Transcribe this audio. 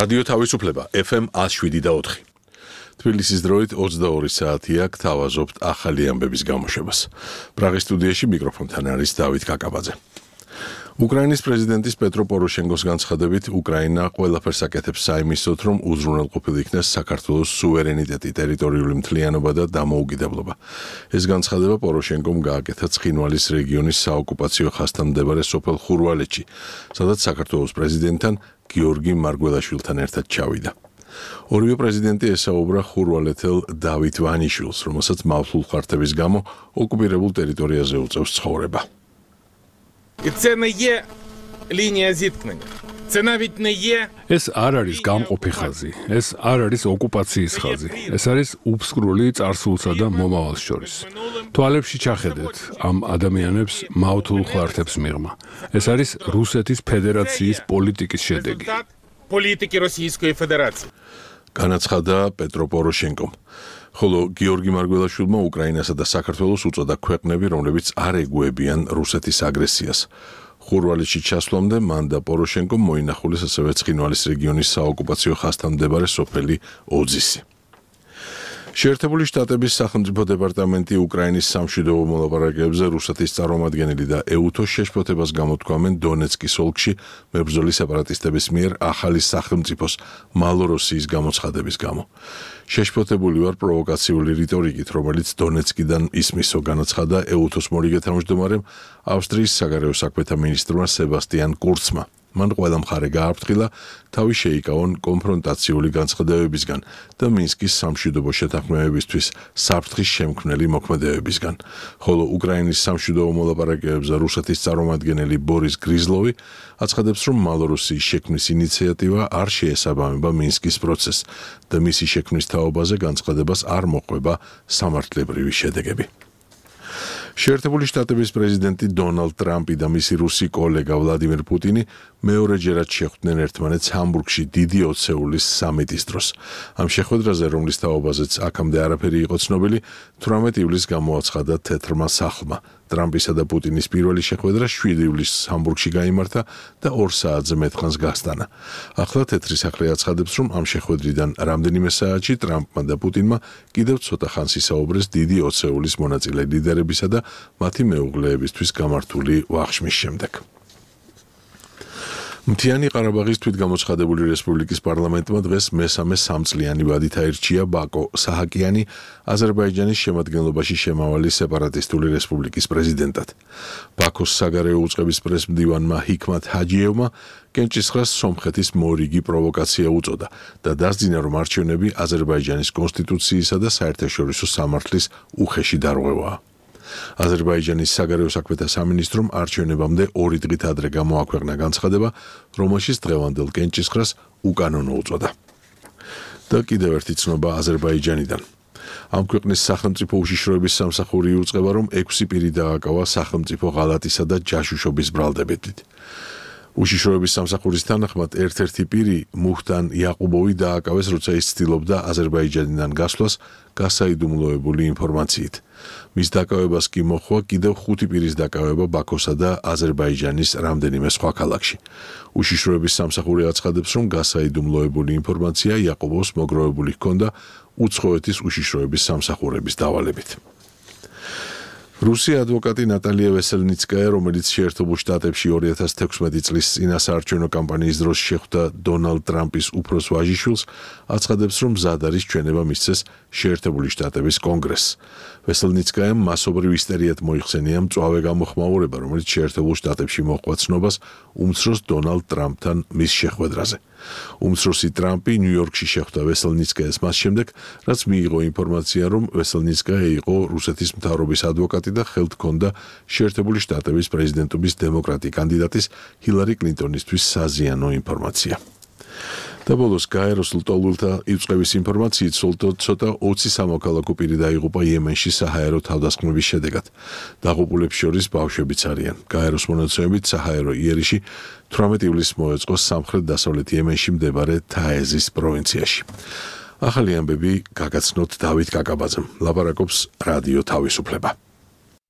რადიო თავისუფლება FM 107.4. თბილისის დროით 22 საათია, გთავაზობთ ახალი ამბების გამოშვებას. პრაღის სტუდიაში მიკროფონთან არის დავით კაკაბაძე. უკრაინის პრეზიდენტის პეტრო პოროშენკოს განცხადებით, უკრაინა ყველაფერს აკეთებს საიმისოდ, რომ უზრუნველყოფილ იქნეს საქართველოს სუვერენიტეტი, ტერიტორიული მთლიანობა და დამოუკიდებლობა. ეს განცხადება პოროშენკომ გააკეთა ცხინვალის რეგიონის საოკუპაციო ხაზთან მდებარე სოფელ ხურვალეთში, სადაც საქართველოს პრეზიდენტთან გიორგი მარგველაშვილთან ერთად ჩავიდა. ორივე პრეზიდენტი ესაუბრა ხურვალეთელ დავით ვანიშვილს, რომელსაც მავთულ ხართების გამო ოკუპირებულ ტერიტორიაზე უწევს ცხოვრება. Це не є лінія зіткнення. Це навіть не є ეს არ არის გამყოფი ხაზი, ეს არ არის ოკუპაციის ხაზი. ეს არის უფსკრული წარსულსა და მომავალს შორის. თვალებში ჩახედეთ ამ ადამიანებს მავთულ ხართებს მიღმა. ეს არის რუსეთის ფედერაციის პოლიტიკის შედეგი. політики Російської Федерації. განაცხადა პეტრო პოროშენკომ. ხოლო გიორგი მარგველაშვილმა უკრაინასა და საქართველოს უწოდა ქვეყნები, რომლებიც არ ეგუებიან რუსეთის აგრესიას. ხურვალეთში ჩასვლამდე მან და პოროშენკომ მოინახულეს ასევე ცხინვალის რეგიონის საოკუპაციო ხაზთან მდებარე სოფელი ოძისი. შეერთებული შტატების სახელმწიფო დეპარტამენტი უკრაინის სამშვიდობო მოლაპარაკებებზე რუსეთის წარმომადგენელი და ეუთოს შეშფოთებას გამოთქვამენ დონეცკის ოლქში მებრძოლი სეპარატისტების მიერ ახალი სახელმწიფოს მალოროსიის გამოცხადების გამო. შეშფოთებული ვარ პროვოკაციული რიტორიკით, რომელიც დონეცკიდან ისმისო, განაცხადა ეუთოს მორიგე თავმჯდომარემ ავსტრიის საგარეო საქმეთა მინისტრმა სებასტიან კურცმა. მან ყველა მხარე გააფრთხილა თავი შეიკავონ კონფრონტაციული განცხადებებისგან და მინსკის სამშვიდობო შეთანხმებებისთვის საფრთხის შემქმნელი მოქმედებებისგან, ხოლო უკრაინის სამშვიდობო მოლაპარაკებებზე რუსეთის წარმომადგენელი ბორის გრიზლოვი აცხადებს, რომ მალოროსიის შექმნის ინიციატივა არ შეესაბამება მინსკის პროცესს და მისი შექმნის თაობაზე განცხადებას არ მოყვება სამართლებრივი შედეგები. შეერთებული შტატების პრეზიდენტი დონალდ ტრამპი და მისი რუსი კოლეგა ვლადიმერ პუტინი მეორეჯერად შეხვდნენ ერთმანეთს ჰამბურგში დიდი ოცეულის სამიტის დროს. ამ შეხვედრაზე, რომლის თაობაზეც აქამდე არაფერი იყო ცნობილი, 18 ივლისს გამოაცხადა თეთრმა სახლმა. ტრამპისა და პუტინის პირველი შეხვედრა 7 ივლისს ჰამბურგში გაიმართა და 2 საათზე მეტხანს გასტანა. ახლა თეთრი სახლი აცხადებს, რომ ამ შეხვედრიდან რამდენიმე საათში ტრამპმა და პუტინმა კიდევ ცოტა ხანს ისაუბრეს დიდი ოცეულის მონაწილე ლიდერებისა და მათი მეუღლეებისთვის გამართული ვახშმის შემდეგ. მთიანი ყარაბაღის თვითგამოცხადებული რესპუბლიკის პარლამენტმა დღეს მესამე სამწლიანი ვადით აირჩია ბაკო საჰაკიანი აზერბაიჯანის შემადგენლობაში შემავალი სეპარატისტული რესპუბლიკის პრეზიდენტად. ბაქოს საგარეო უწყების პრესმდივანმა ჰიქმათ ჰაჯიევმა კენჭისყრას სომხეთის მორიგი პროვოკაცია უწოდა და დასძინა, რომ არჩევნები აზერბაიჯანის კონსტიტუციისა და საერთაშორისო სამართლის უხეში დარღვევაა. აზერბაიჯანის საგარეო საქმეთა სამინისტრომ არჩევნებამდე 2 დღით ადრე გამოაქვეყნა განცხადება, რომელშიც დღევანდელ კენჭისყრას უკანონო უწოდა. და კიდევ ერთი ცნობა აზერბაიჯანიდან. ამ ქვეყნის სახელმწიფო უშიშროების სამსახური იუწყება, რომ 6 პირი დააკავა სახელმწიფო ღალატისა და ჯაშუშობის ბრალდებებით. უშიშროების სამსახურის თანახმად ერთ-ერთი პირი მუხტან იაყუბოვი დააკავეს, როცა ის ცდილობდა აზერბაიჯანიდან გასვლას გასაიდუმლოებული ინფორმაციით. მის დაკავებას კი მოჰყვა კიდევ 5 პირის დაკავება ბაქოსა და აზერბაიჯანის რამდენიმე სხვა ქალაქში. უშიშროების სამსახური აცხადებს, რომ გასაიდუმლოებული ინფორმაცია იაყუბოვს მოგროვებული ჰქონდა უცხოეთის უშიშროების სამსახურების დავალებით. რუსი ადვოკატი ნატალია ვესელნიცკაია, რომელიც შეერთებულ შტატებში 2016 წლის წინასაარჩევნო კამპანიის დროს შეხვდა დონალდ ტრამპის უფროს ვაჟიშვილს, აცხადებს, რომ მზად არის ჩვენება მისცეს შეერთებული შტატების კონგრესს. ვესელნიცკაიამ მასობრივ ისტერიად მოიხსენია მწვავე გამოხმაურება, რომელიც შეერთებულ შტატებში მოჰყვა ცნობას უმცროს დონალდ ტრამპთან მის შეხვედრაზე. უმცროსი ტრამპი ნიუ-იორკში შეხვდა ვესელნიცკაიას მას შემდეგ, რაც მიიღო ინფორმაცია, რომ ვესელნიცკაია იყო რუსეთის მთავრობის ადვოკატი და ხელთ ჰქონდა შეერთებული შტატების პრეზიდენტობის დემოკრატი კანდიდატის ჰილარი კლინტონისთვის საზიანო ინფორმაცია. და ბოლოს გაეროს ლტოლვილთა იწყების ინფორმაციით ცოტა 20 სამოქალაქო პირი დაიღუპა იემენში საჰაერო თავდასხმების შედეგად. დაღუპულებს შორის ბავშვებიც არიან. გაეროს მონაცემებით საჰაერო იერიში 18 ივლისს მოეწყო სამხრეთ-დასავლეთ იემენში მდებარე თაეზის პროვინციაში. ახალი ამბები გაგაცნოთ დავით კაკაბაძემ. ლაპარაკობს რადიო თავისუფლება.